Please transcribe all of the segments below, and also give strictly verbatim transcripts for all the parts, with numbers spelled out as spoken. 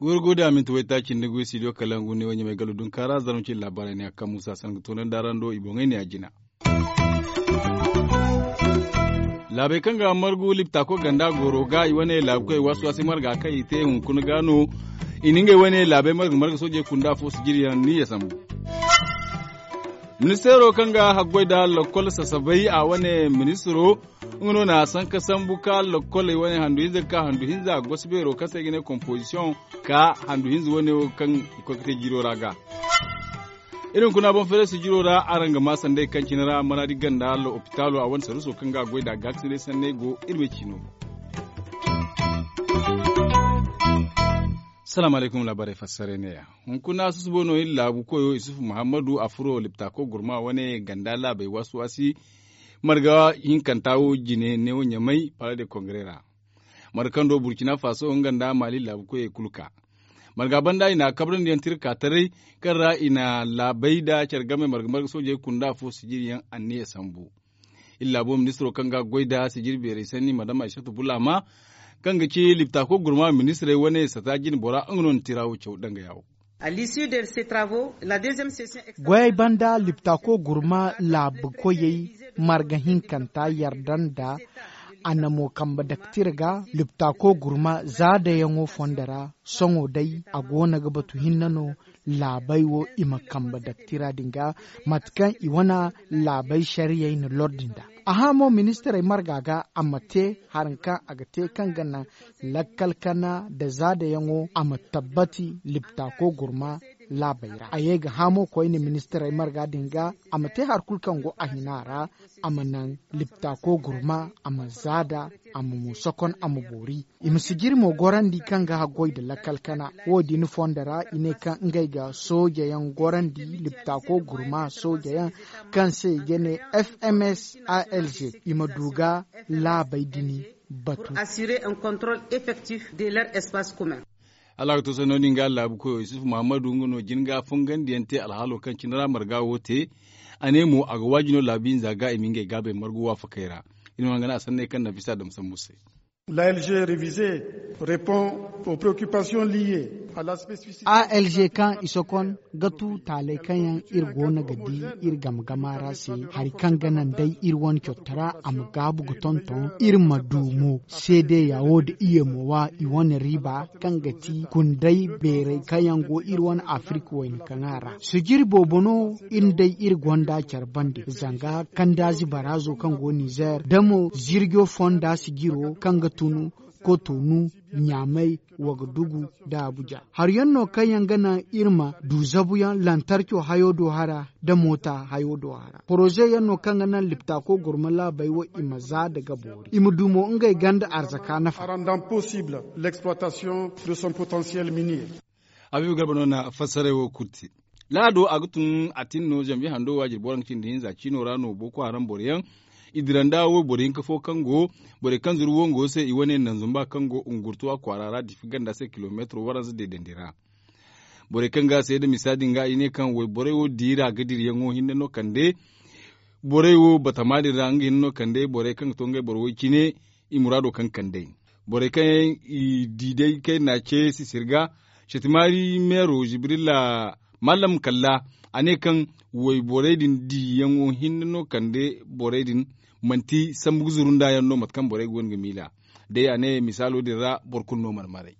Gurguda minti waytaaci nda goy studio kalangu ne wanya mai galo dunkaara zarma cin laabaarey ne a kaŋ muusa sangu toonandi a ra ndo i boŋey ne a jina. Laabey kaŋ ga margu liptaako ganda gooro ga i wane laabu koy waasi waasi marga kaŋ i te hunkuna ga no. I na ngey wane laabey marga marga soojey kunda fo sijiriyaŋ ni ya sambu. Ministeero kaŋ ga haggoy nda lokkol sasabay a wane ministiro nga no na sanka sambu ka lokkoley wane handu hinza ga ka handu hinza gosi beero kaŋ se i ga ne kompozisiyoŋ ka handu hinza wane wo kaŋ i koy ga te jiro ra ga. Iri hunkuna boŋ feere sijiro ra araŋ ga ma sanday kaŋ cine ra manaadi ganda lopitaalo a wane saruso kaŋ ga a goy nd'a gaakasinay sanney go iri ma ciino. Salaamu alaykum laabaarey fassarey neeya. Hunkuna susubo no iri laabu koyo isufu muhammadu a furo liptaako gurma wane ganda laabey waasi waasi marga hinkanta wo jine neewo ɲamay pala de kongare ra. Marga kaŋ do burkina faso nga nda mali laabu koyey kulu ka marga banda i na a kabrandi yaŋ tirka taray kaŋ ra i na laabey nda care game marga marga soojey kunda fo sijiri yaŋ anniya sambu. Iri laabo ministiro kaŋ ga goy nda sijiri beerey sanni madama aysatu bulama kaŋ ga ci liptaako gurma ministirey wane sata jine bora nga no na tira wo caw danga yaawo. Goyey banda liptaako gurma laabu koyey marga hinkanta yarda nda a na mo kambe daktir ga liptaako gurma zaadayaŋo fondo ra. Sohõ day a go no ga batu hinne no laabey wo i ma kambe daktira din ga mate kaŋ i wane laabey sariyey na lordi nd'a. A hã mo ministirey marga ga a ma te hari kaŋ a ga te kaŋ ga naŋ lakkal kana nda zaadayaŋo a ma tabbati liptaako gurma laabey ra a ye ga hã mo koyne ministirey marga din ga a ma te hari kulu kaŋ go a hina ra a ma naŋ liptaako gurma a ma zaada a ma mo sokon a ma boori. I ma sijiri mo gorandi kaŋ ga haggoy nda lakkal kana wo- din fondo ra i ne kaŋ ngey ga soojayaŋ gorandi liptaako gurma soojayaŋ kaŋ se i ga ne fms alg i ma du ga laabey din batu. Assurer un contrôle effectif de leur espace commun. Hala a ga to sanno din ga laabu koyo isufu muhammadu nga no jin ga fongandiyaŋ te alhaalo kaŋ cine ra marga wo te. A ne mo a ga waaji no laabu hinza ga i ma ngey gaabey margu waafakey ra. Iri ma nga ne a sanney kaŋ nafisa dam sambu se. L'alg révisé répond aux préoccupations liées à la spécificité. Alg kaŋ i sokon ga tu taaley kaŋ yaŋ iri go no ga di iri game gama ra se hari kaŋ ga naŋ day iri wane cottara a ma gaabu ga tonton iri ma du mo seedeya wo nda iyemo wa i wane riiba kaŋ ga ti kunday beerey kaŋ yaŋ go iri wane afirika wayna kaŋa ra. Sijiri boobo no iri day iri gonda care bande zanga kandaazi baraazo kaŋ go nizer da mo zirjo fonda sijiro kaŋ ga tun kotonu ɲaamay wagadugu nda abuja. Hari yaŋ no kaŋ yaŋ ga naŋ iri ma du zabuyaŋ lantarco hayo do hara nda moota hayo do hara poroze yaŋ no kaŋ ga naŋ liptaako gurma laabey wo i ma za nda ga boori i ma du mo ngey ganda arzaka nafa. Rendant possible l'exploitation de son potentiel minier. Habiibu garba no na fassaray wo kulu te. Laado a ga tun a tin no zanbiye hando waajiri boro nga cindi hinza ciino ra no boko haram boro yaŋ i dira nda wayboro hinka fo kaŋ go borey kaŋ zuru wongo se i wane nanzumba kaŋ go ngurtuwa kwaara ra difi ganda se kilomeetiro waranza deedandi ra. Borey kaŋ ga a seeda misa din ga i ne kaŋ wayborey wo diira ga dirayaŋo hinne no kande borey wo batama din ra nga hinne no kande borey kaŋ ga to ngey boro way cine i muraado kaŋ kande borey kaŋ yaŋ i di day kayna ce sisir ga. Setimaari meero jibrila mallam kalla a ne kaŋ wayborey din diyaŋo hinne no kande borey din manti sambu ga zuru nda yaŋ no mate kaŋ borey ga wane ga miila day a ne misaalo din ra boro kulu no marmaray.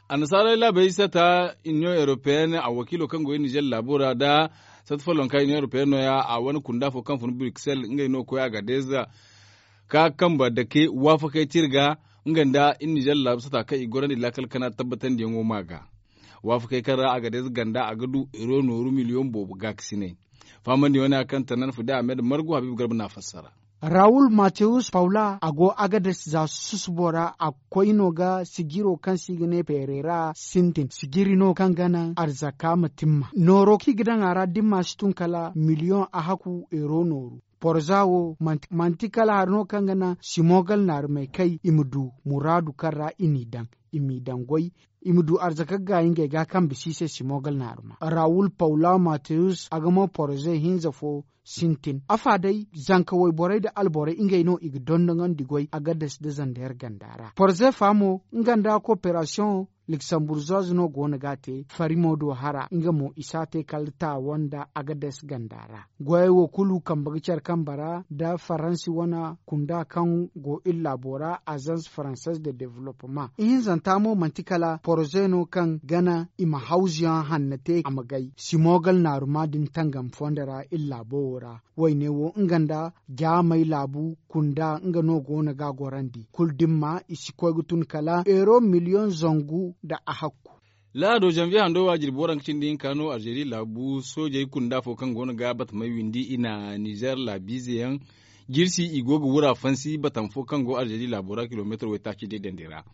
Annasaarey laabey sata union européenne a wakiilo kaŋ go iri nizer laabo ra nda sata follonka union européenne no- ya a wane kunda fo kaŋ fun bruxelles ngey no koy agadez ka kambe dake waafakey te iri ga nga nda iri nizer laabu sata kaŋ i gorandi laakal kana tabbatandiyaŋo ma ga. Waafakey kaŋ ra agadez ganda a ga du ero nooru miliyoŋ boobo gaakasinay. Fahamandi wane a kaŋ tanan fudi ahmed margu habiibu garba na a fassara. Rawul matewus paula a go agades za susubo ra a koy no ga sijiro kaŋ se i ga ne peerera sintin sijiri no kaŋ ga naŋ arzaka ma timma nooro kaŋ i ga daŋ a ra dimma si tun kala miliyoŋ a haku ero nooru. Porza wo manti kala hari no kaŋ ga naŋ simogal naarumey kay i ma du muraadu kaŋ ra i n'i daŋ. i m'i daŋ goy, i ma du arzaka ga gaayi ngey ga kaŋ bisa i se simogal naaruma rawul pawla mateyus a ga mo poroze hinza fo sintin afa day zanka wayborey nda alborey ngey no i ga dondonandi goy a ga dasi nda zandeer ganda ra poroze fa mo nga nda koperasiyoŋ liksamburzoz no go no ga a te farimo do hara nga mo i si a te kala taawo nda a ga dasi ganda ra goyey wo kulu kambe ga care kambe ra nda faransi wane kunda kaŋ go iri laabo ra azans faransaise de developpement ihinzanta mo manti kala poroze no kaŋ gana i ma hawzuyaŋ hanna te a ma gay simogal naaruma din tangam fondo ra iri laabo wo ra wayne wo nga nda jaamey laabu kunda nga no go no ga a gorandi kulu dimma i si koy ga tun kala euro miliyoŋ zangu nda a hakku. Laado zanviye hando wa jirbi waranka cindi hinka no alzeeri laabu soojey kunda fo kaŋ go no ga batamey windi i na nizer laabiize yaŋ jirsi i go ga wura fansi batama fo kaŋ go alzeeri laabo ra kilomeetar waytaaci day dandi ra.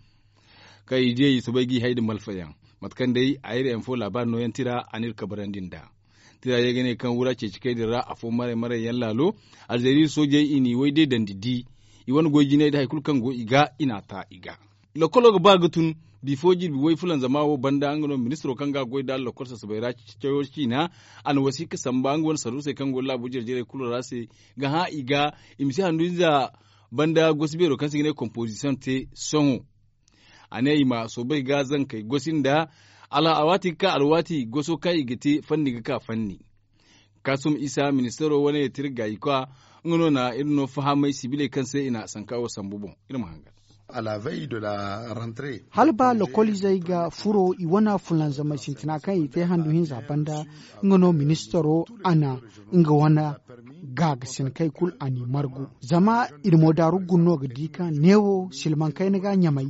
Kaŋ i di ay soobay g'i hay nda malfayaŋ mate kaŋ day a iri yaŋ fo laabaari nooyaŋ tira a n'iri kabarandi nd'a. Tira ye ga ne kaŋ wura ceeci kay din ra afo maray maray yaŋ laalo alzeeri soojey i n'i way day dandi di i wane goy jinay nda hari kulu kaŋ go i ga i n'a ta i ga. Lokolo ga ba ga tun bifo jirbi way fulanzama wo banda nga no ministiro kaŋ ga a goy nd'a lokol sasabay ra cayo ciina a na wasiika samba nga wane sarrusey kaŋ go laabo jare-jarey kulu ra se ga hã i ga i ma si handu ize banda gosi beero kaŋ se i ga ne komposisiyoŋ te sohõ. A ne i ma soobay ga zankey gosi nda alwaati ga ka alwaati goso kaŋ i ga te fanni ga ka fanni. Kaasum isa ministaro wane tirgayikwa nga no na iri no fahamay sibiley kaŋ se i na sanka wo sambu boŋ. Iri ma hangan. Hala ba lokoliizey ga furo i wane fulanzamey sintina kaŋ i te handu hinza banda nga no ministaro a na nga wane gaagasinakey kulu a n'i margu zama i na moodaaru guna no ga di kaŋ neewo silmaŋ kayna ga ɲamay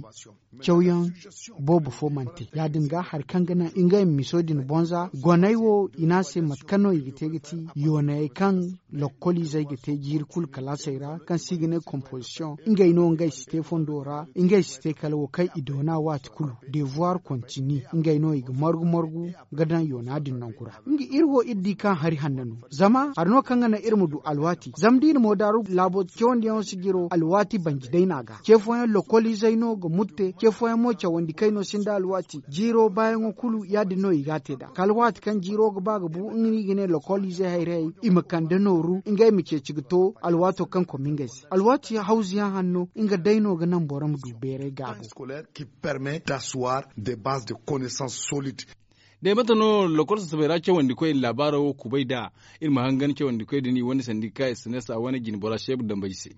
cawyaŋ boobo fo mana te ya- din ga hari kaŋ ga naŋ ngey ma miso din bonza goney wo i ne a se mate kaŋ no i ga te ga ti yoonayey kaŋ lokoliizey ga te jiiri kulu kalaasey ra kaŋ se i ga ne komposisiyoŋ ngey no ngey si te fondo ra ngey si te kala wo kaŋ i doona waati kulu devoir kontini ngey no i ga margu margu ga daŋ yoona din nangu ra nga iri wo iri di kaŋ hari hanna no zama hari no kaŋ ga naŋ iri ma du alwaati zama da i na moodaaru laabo cawandiyaŋo si jiro alwaati banji day no a ga ce fooyaŋ lokoliizey no ga mutte ce fooyaŋ mo cawandi kay no sinda alwaati jiiro baayaŋo kulu ya- din no i ga a te nd'a kala waati kaŋ jiiro ga ba ga bu nga no i ga ne lokoliizey hayrayey i ma kande nooru ngey ma ceeci ga to alwaato kaŋ koma ngey se alwaati hawzuyaŋ hanno nga day no ga naŋ boro ma du beeray gaabo. Day mate no lokol sasabey ra cawandikoy labaaro wo kubay nd'a iri ma hangan cawandikoy din i wane sandika sns a wane jine bora seebu dambey se.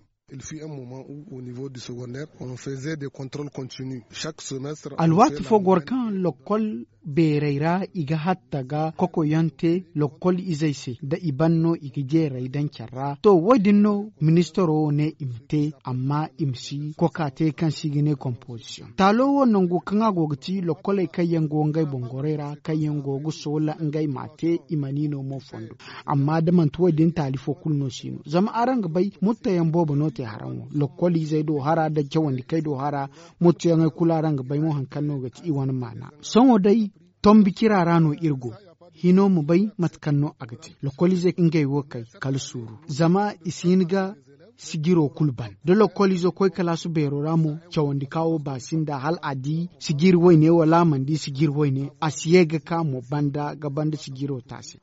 Alwaati fo goro kaŋ lokol beerey ra i ga hatta ga kokoyaŋ te lokol izey se da i ban no i ga jeeray daŋ care ra to wo- din no ministaro wo ne i ma te amma i ma si koka te kaŋ se i ga ne komposisiyoŋ taalo wo nango kaŋ a go ga ti lokoley kaŋ yaŋ go ngey boŋ gorey ra kaŋ yaŋ go ga soola ngey m'a te i mana i no mo fondo. Amma da manti wo- din taali fo kulu no si no zama araŋ ga bay mutteyaŋ boobo no te haraŋ wo lokol izey do hara nda cawandi kay do hara mutteyaŋey kulu araŋ ga bay mo hari kaŋ no ga ti i wane maana sohõ day tombi cira ra no iri go hino ma bay mate kaŋ no a ga te lokoliizey ngey wo kay kala suuru zama i si hin ga sijiro kulu ban da lokoliizo koy kalaasu beero ra mo cawandi ka wo ba sinda hala a di sijiri wayne wala a mana di sijiri wayne a si ye ga ka mo banda ga banda sijiro taasi.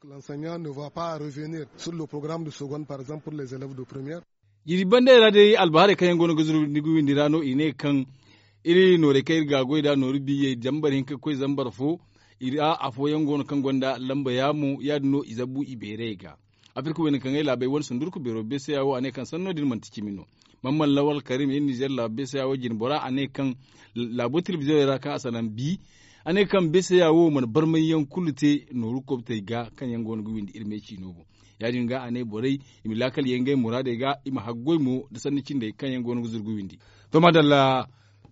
Iri banda ra day albaharey kaŋ yaŋ go no ga zuru ni ga windi ra no i ne kaŋ iri noorey kaŋ iri ga goy nd'a nooru biyey zambar hinka ga koy zambar fo. Iri a afooyaŋ go no kaŋ gonda lamba yaamo ya- din no i zabbu i beerey ga. Afirka wayna kaŋ ay laabey wane sundurku beero beeseya wo a ne kaŋ sanno din manti cimi no. Mamman lawal karim iri nizer laabo beeseya wo jine bora a ne kaŋ laabo telebiziyoŋey ra kaŋ a salaŋ bi a ne kaŋ beeseya wo mana barmay yaŋ kulu te nooru kobtey ga kaŋ yaŋ go no ga windi iri me ciino boŋ. Ya- din ga a ne borey i ma laakal ye ngey muraadey ga i ma haggoy mo nda sanni cindey kaŋ yaŋ go no ga zuru ga windi. To maadalla,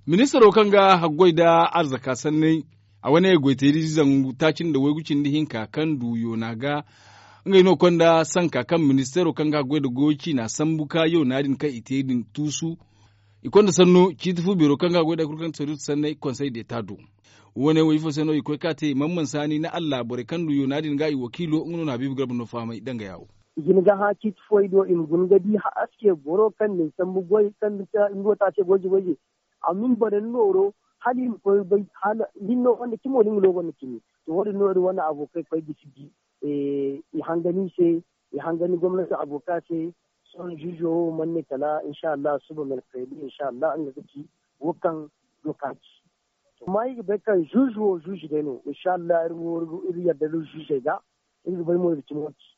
ministaro kaŋ ga haggoy nda arzaka sanney a wane goyteeri zangu taaci nda waygu cindi hinka kaŋ du yoona ga ngey no konda sanka kaŋ ministaro kaŋ ga haggoy nda goyo ciina sambu ka yoona din kaŋ i te din tuusu. I konda sanno ciiti fu beero kaŋ ga haggoy nda hari kulu kaŋ ga ti sanney konsey deeta do. Wo- ne wo ifo se no i koy ka te mamman saani na allah borey kaŋ du yoona din ga i wakiilo nga no na habiibu garba no fahamay danga yaawo. Jina ga hã ciiti fooy do i ma guna ga di haske boro kaŋ na ni sambu goy kaŋ ni go taase goyze goyze. Amma ni bana ni nooro Hala i ma koy bay hala hinno wanda cimo da nga no gonda cimi. To wo- din no iri wane abokey koy gisi di. I hangan i se, i hangan gomnanti aboka se. Sohõ zuuzo wo mana ne kala insa allah suba merkaydi insa allah nga ga ci wo kaŋ doka ci. Amma iri ga bay kaŋ zuuzo wo zuuzo day no insa allah iri wo iri yadda da zuuzey ga. Iri ga bay mo iri ga cimo ci.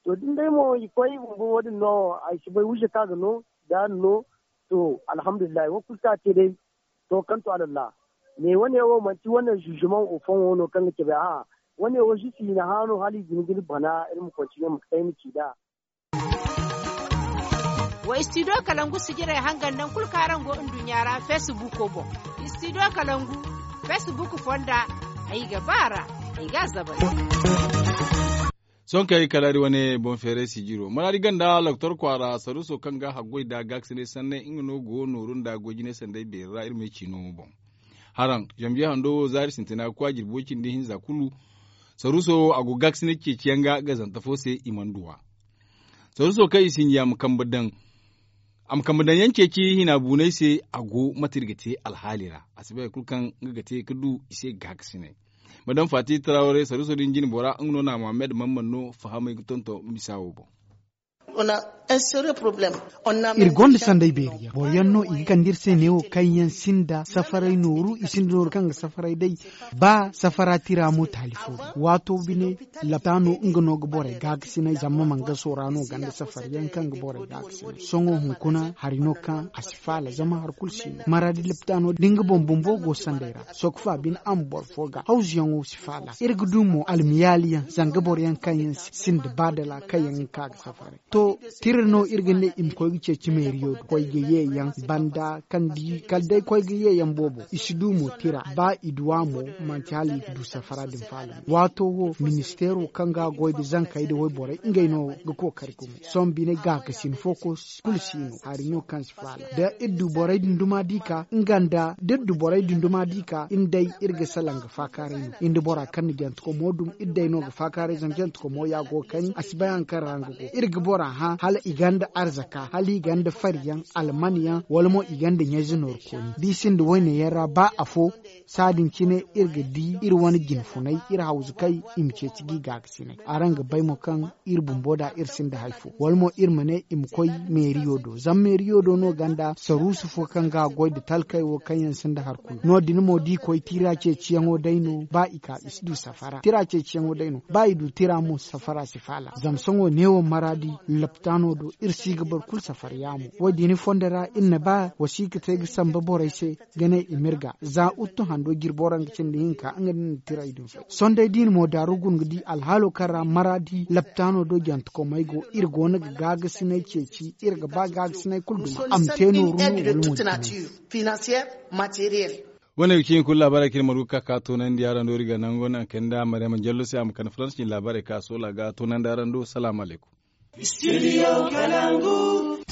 To da ni day mo i koy i bumbo wo- din no ay si bay wiize kaŋ a ga no da a na no. To alhamdulillahi wo kulu kaŋ a te day. To kaŋ to alallah. Me wane wo manti wane zuuzumaŋ ofon wo no kaŋ ga cabe a'a. Wane wo si si i na hã no hala i ga hin ga ni bana iri ma kontinye ma kay ma ci nd'a. Wa istidiyo kalangu sijirey hangan nangu kulu kaŋ araŋ go nduɲɲa ra feesibuuko boŋ. Istidiyo kalangu feesibuuk fonda. Ay ga ba a ra. Ay ga a zabari. Sohõ kaŋ ay kala iri wane boŋ feeray sijiro maraadi ganda loktor kwaara saruuso kaŋ ga haggoy nda gaakasinay sanney nga no go nooru nda goy-jinay sanday beeri ra iri ma ay ciino boŋ. Haraŋ zambiya hando wo zaari sintina ga koy a jirbi way-cindi hinza kulu. Saruuso wo a go gaakasinay ceeciyaŋ ga gazante fo se i mana duw'a. Saruuso kaŋ i sinji a ma kambe daŋ a ma kambe daŋ yaŋ ceeci hina buunay se. A go mate iri ga te alhaali ra a si bay hari kulu kaŋ nga ga te ga du i se gaakasinay. Madam faati tarawre saruuso din jine bora nga no na mohammed man man no fahamay ga tonton misa wo boŋ. Iri gonda sanday beeri yaŋ boro yaŋ no i ga kande iri se neewo kaŋ yaŋ sinda safaray nooru i sinda nooru kaŋ ga safaray day. Ba safara tira mo taali fo din waato bine. Lapta no nga no ga borey gaakasinay zama mangaso ra no ganda safari yaŋ kaŋ ga borey gaakasinay sohõ hunkuna hari no kaŋ a si faala zama hari kulu si no maraadi lapta no da nga boŋ bumbo go sanday ra. Sokfa bine a ma boro fo ga hawzuyaŋo si faala iri ga du mo almiyaali yaŋ zanga boro yaŋ kaŋ yaŋ sinda baadala kaŋ yaŋ ga ka ga safaray. To tira no iri ga ne i ma koy ga ceeci meeriyo do koy ga ye yaŋ banda kaŋ di kala day koy ga ye yaŋ boobo i si du mo tira ba i duw'a mo. Manti hala i ga du safara din faala no waato wo ministeero kaŋ ga a goy nda zankey nda wayborey ngey no ga kookari gumo. Sohõ bine gaakasin fo kulu si no hari no kaŋ si faala da iri du borey dunduma di ka nga nda da iri du borey dunduma di ka iri day iri ga salaŋ ga faakaaray no iri nda bora kaŋ na janti komo dum iri day no ga faakaaray zama janti komo ya go ga kani a si bay hari kaŋ ra nga go iri ga bora hã hala i gonda arzaka hala i gonda fari yaŋ alman yaŋ wala mo i gonda ɲayze nooru kooni da i sinda wayne yaŋ ra ba afo. Saadin cine iri ga di iri wane jinfunay iri hawzu kay i ma ceeci ga i gaakasinay araŋ ga bay mo kaŋ iri bumbo da iri sinda hari fo wala mo iri ma ne i ma koy meeriyo do zama meeriyo do no gonda saruusu fo kaŋ ga a goy nda talkey wo kaŋ yaŋ sinda hari kulu no- din mo da i koy tira ceeciyaŋo day no ba i ka i si du safara tira ceeciyaŋo day no ba i du tira mo safara si faala zama sohõ neewo maraadi laptaano do iri si ga boro kulu safara yaamo wo- din fondo ra iri na ba wasiika te ga samba borey se ga ne i m'iri ga za uttu hando jirbo ra nga cindi hinka nga din na tiray din fay sohõ day da i na mo daaru guna ga di alhaalo kaŋ ra maraadi laptaano do jantekomey go iri go no ga gaagasinay ceeci iri ga ba gaagasinay kulu duma a ma te nooru no wala mo. Wane ga cin kulu laabaarey kaŋ iri margu ga ka ka toonandi araŋ do iri ga nango naŋ kay nda maryama jallo se a ma kande faransi cin laabaarey kaŋ a soola ga toonandi araŋ do salaamu alaykum. Studio kalangu.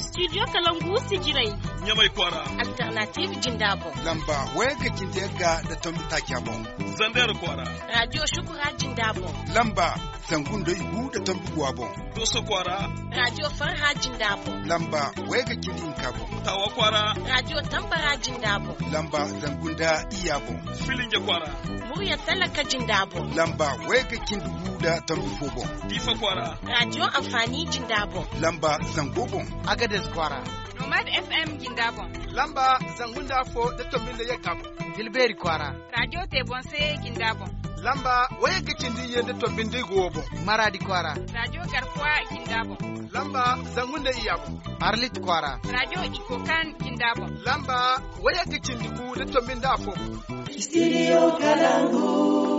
Studio kalangu sijirey. Ɲamay kwaara. Alternative jinda boŋ. Lamba wayga cindi yagga nda tombi taaca boŋ. Zander kwaara. Radio shukura jinda boŋ. Lamba zangu nda igu nda tombi guwa boŋ. Doso kwaara. Radio farha jinda boŋ. Lamba wayga cindi hinka boŋ. Tawa kwaara. Radio tambara jinda boŋ. Lamba zangu nda iyya boŋ. Filinge kwaara. Murya talaka jinda boŋ. Lamba wayga cindi gu nda tombi fo boŋ. Diifa kwaara. Radio amfani jinda boŋ. Lamba zango boŋ. Agades kwaara. Nomad FM jinda boŋ. Lamba zangu nda afo nda tombi nda yagga boŋ. Tilbeeri kwaara. Radio te boŋ se jinda boŋ. Lamba wayga cindi iyye nda tombi nda igu wo boŋ. Maraadi kwaara. Radio garkuwa jinda boŋ. Lamba zangu nda iyya boŋ. Arlit kwaara. Radio ikokan jinda boŋ. Lamba wayga cindi gu nda tombi nda afo boŋ. Studio kalangu.